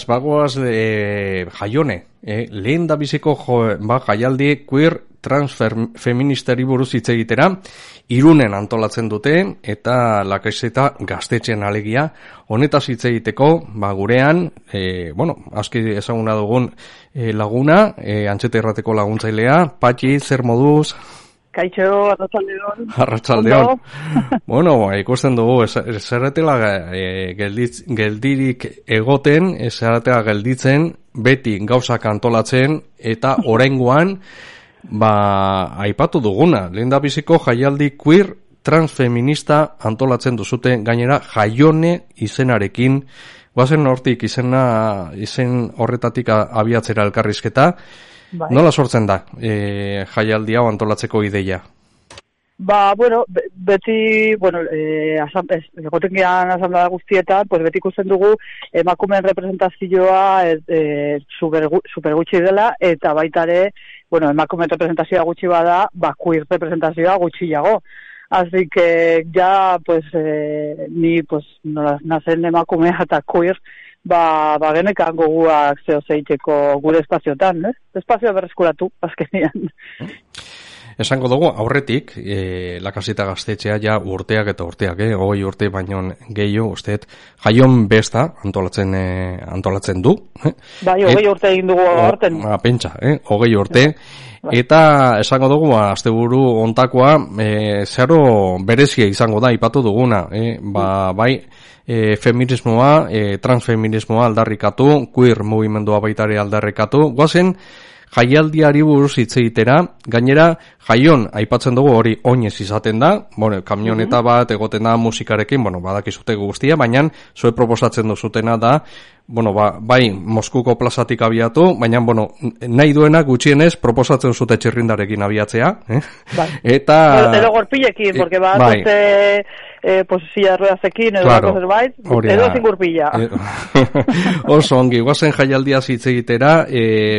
Bagoaz jaione, lehen da biziko jaialdi queer transfeministari buruz hitz egitera, Irunen antolatzen dute eta Lakaixeta gaztetxean alegia, honetaz hitz egiteko, gurean, aski ezaguna dugun laguna, Antxeta Irrateko laguntzailea, Patxi, zer moduz? Kaixo, arratsaldeon. Arratsaldeon. Bueno, ikusten dugu, esaratela geldirik egoten, esaratela gelditzen, beti gauzak antolatzen, eta oraingoan, aipatu duguna, lehendabiziko jaialdi queer transfeminista antolatzen duzute, gainera jaione izenarekin, guazen hortik izen horretatik abiatzera elkarrizketa. Bai. Nola sortzen da jaialdi hau antolatzeko ideia? Beti, egoten gehan asamblea guztietan, beti ikusten dugu emakumeen representazioa super gutxi dela, eta baitare, emakumeen representazioa gutxi bada, queer representazioa gutxiago. Así que ya, ni, nazen emakumea eta queer, genekan goguak zeiteko gure espazioetan, espazioa berreskuratu, azkenean. Esango dugu, aurretik, Lakaixeta gaztetxea ja urteak eta urteak, 20 urte baino gehiago, usteet, jaion besta antolatzen du. 20 urte egin dugu aurten. Pentsa, 20 urte. Eta esango dugu, asteburu ontakoa, zeharo berezia izango da, ipatu duguna, feminismoa, transfeminismoa aldarrikatu, queer mugimendua baitare aldarrikatu, guazen jaialdiari buruz hitz egitera, gainera jaion aipatzen dugu hori oinez izaten da, kamioneta bat egoten da musikarekin, badakizute guztia, baina zue proposatzen duzutena da, bai Moskuko plazatik abiatu, baina nahi duena gutxienez proposatzen zute txirrindarekin abiatzea, eta... Edo gorpilekin, porque silla ruedazekin, edo zerbait, edo sin gurpila. Oso ongi, guazen jaialdia hitz egitera,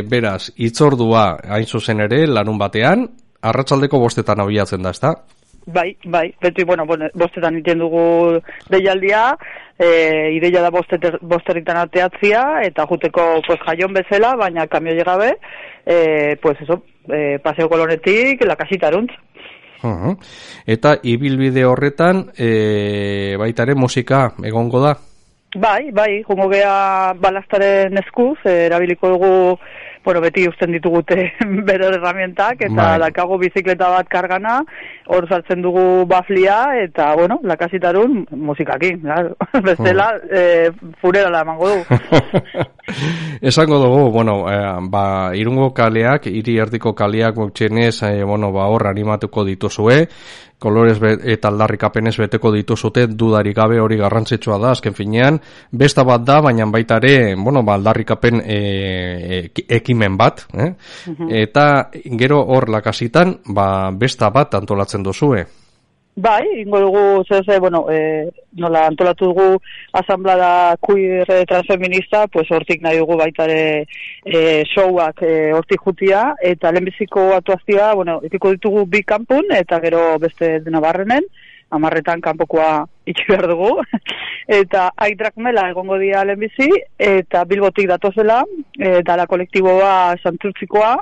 beraz, hitzordua hain zuzen ere, larun batean, arratsaldeko 5:00 abiatzen da, ezta? Bai, beti, 5:00 egiten dugu deialdia, ideia da 5:00 ateatzia, eta juteko jaion bezala, baina kamioi gabe, Paseo Kolonetik, Lakaixitaruntz. Eta ibilbide horretan, baitare musika egongo da? Bai, jongo gea balastaren eskuz, erabiliko dugu, beti usten ditugute bere herramientak, eta dakago bizikleta bat kargana, hor saltzen dugu baflia, eta, Lakaxitarun musikakin, bestela, furerala emango du. Esango dugu, Irungo kaleak, hiri erdiko kaleak gutxienez, hor animatuko dituzue, kolorez eta aldarrikapenez beteko dituzute, dudarik gabe hori garrantzitsua da, azken finean, besta bat da, baina baita ere, aldarrikapen ekimen bat, eta gero hor Lakaxitan, besta bat antolatzen duzue. Bai, ingo dugu, nola antolatu dugu asamblada queer transfeminista, hortik nahi dugu baitare showak hortik jutia, eta lehenbiziko atuazioa, ekiko ditugu bi kanpun, eta gero beste dena barrenen, 10:00 kanpokoa itxi behar dugu, eta Aidrakmela egongo dira lehenbizi, eta Bilbotik datozela, eta la kolektiboa Santurtzikoa,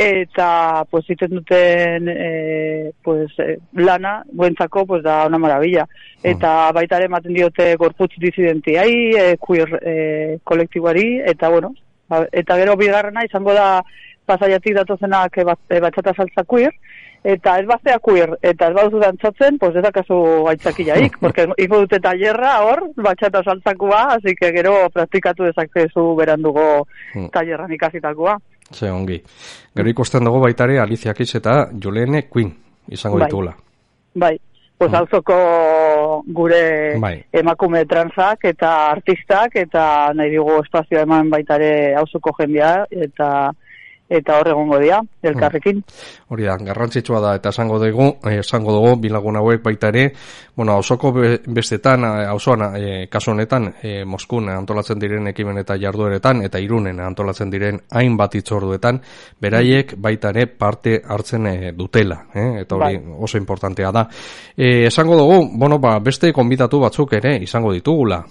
eta egiten duten lana guentzako da una maravilla, eta baita ere ematen diote gorputz disidentiai, queer kolektiboari, eta eta gero bigarrena izango da Pasaiatik datozenak batxata saltza queer, eta ez baztea queer, eta ez baduzu dantzatzen, ez dakazu gaitzakilaik, porque ingo dute talerra hor, batxata saltzakoa, así que gero praktikatu dezakezu berandugo talerran ikasitakoa. Ze ongi. Gero ikusten dugu baitare Alicia Keys eta Jolene Quinn izango ditugula. Bai. Auzoko gure emakume transak eta artistak, eta nahi dugu espazioa eman baitare auzoko jendea, eta hor egongo dira, elkarrekin. Hori da, garrantzitsua da, eta esango dugu, bilagun hauek baita ere, auzoko bestetan, auzoan, kasu honetan, Moskun antolatzen diren ekimen eta jardueretan, eta Irunen antolatzen diren hainbat hitzorduetan, beraiek baita ere parte hartzen dutela, eta hori oso importantea da. Esango dugu, beste konbidatu batzuk ere izango ditugula.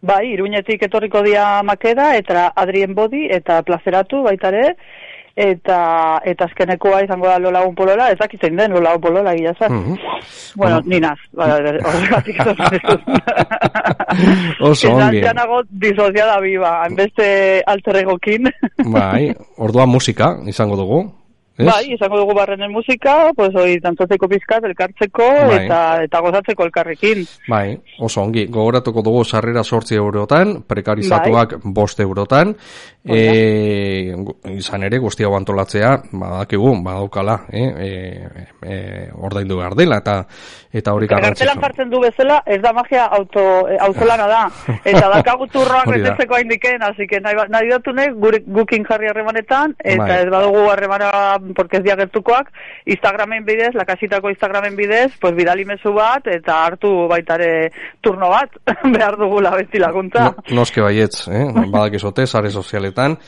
Bai, Iruñetik etorriko dia Makeda, eta Adrien Bodi, eta Plazeratu baitare, eta azkenekoa izango da Lolagun Polola, ez dakitzen den Lolagun Polola gila zan. Bueno, ninaz, horregatik oso ongi. Ezan nago disociada biba, hainbeste alterregokin. Bai, orduan musika izango dugu. ¿Es? Bai, izango dugu barrenen musika, pues hori dantzatzeko pizkat, elkartzeko, bai. eta gozatzeko elkarrekin. Bai, oso ongi, gogoratuko dugu sarrera 8 eurotan, prekarizatuak 5 eurotan, izan ere guztia antolatzea, badakigu, badaukala, ordaindu behar dela, eta hori garrantzitsua. Kartelan jartzen du bezala, ez da magia auzolana da, eta dakagu turroak betetzeko haindiken, así que nahi datunek gukin jarri harremanetan, eta ez badugu harremana porque ez diagertukoak, Instagramen bidez, lakasitako Instagramen bidez, pues bidali mezu bat, eta hartu baitare turno bat, behar dugula beti laguntza. Noske baietz, badakizote, sare sozialetan,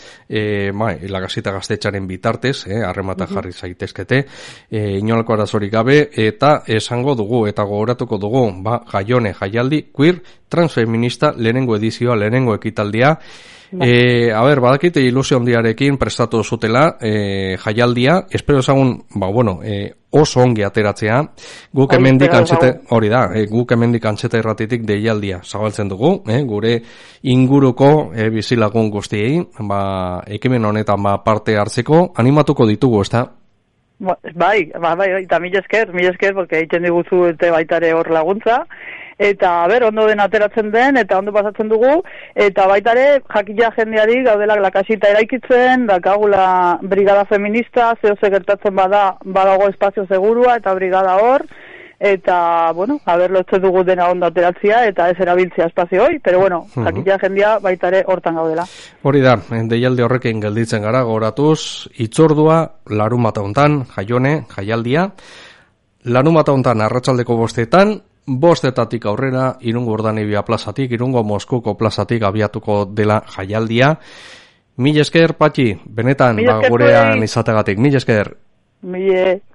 lakasita gaztetxaren bitartez, harremata jarri zaitezkete, inolako arazorik gabe, eta esango dugu, eta gogoratuko dugu, jaialdi, queer, transfeminista, lehenengo edizioa, lehenengo ekitaldia, badakite ilusio handiarekin prestatu zutela jaialdia, espero ezagun, oso ongi ateratzea, guk hemendik antxeta irratitik deialdia zabaltzen dugu, gure inguruko bizilagun guztiei, ekimen honetan parte hartzeko, animatuko ditugu, ez da? Bai, eta mil esker, porque egiten diguzu eta baitare hor laguntza, eta ondo den ateratzen den, eta ondo pasatzen dugu, eta baitare jakila jendeari gaudela lakasita eraikitzen, dakagula brigada feminista, zehose gertatzen badago espazio segurua, eta brigada hor, eta, lotzen dugu dena ondo ateratzea, eta ez erabiltzea espazio hoi, pero jakila jendea baitare hortan gaudela. Hori da, deialdi horrekin gelditzen gara, goratuz, itzordua, larunbata hontan, jaialdia, larunbata hontan arratsaldeko 5:00, 5:00 aurrera, Irungo Urdanibia plazatik, Irungo Moskuko plazatik abiatuko dela jaialdia. Mil esker, Patxi, benetan, gurean izategatik. Mil esker.